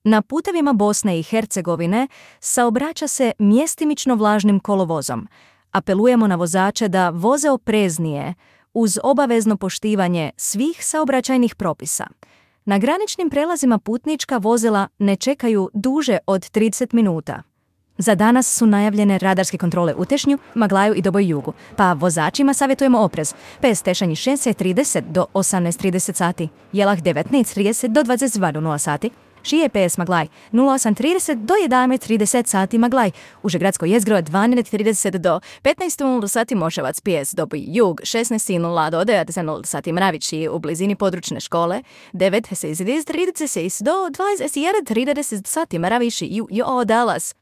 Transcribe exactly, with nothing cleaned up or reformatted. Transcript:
Na putevima Bosne i Hercegovine saobraća se mjestimično vlažnim kolovozom. Apelujemo na vozače da voze opreznije uz obavezno poštivanje svih saobraćajnih propisa. Na graničnim prelazima putnička vozila ne čekaju duže od trideset minuta. Za danas su najavljene radarske kontrole u Tešnju, Maglaju i Doboj Jugu, pa vozačima savjetujemo oprez. Pes Tešanj šesnaest trideset do osamnaest trideset sati, Jelah devetnaest trideset do dvadeset dva sati, Šije P S Maglaj nula osam trideset do jedanaest trideset sati Maglaj, Užegradsko jezgro dvanaest trideset do petnaest sati Moševac P S Doboj Jug šesnaest do devedeset sati Mravići u blizini područne škole, devet trideset do dvadeset jedan trideset sati Mravići i Dallas.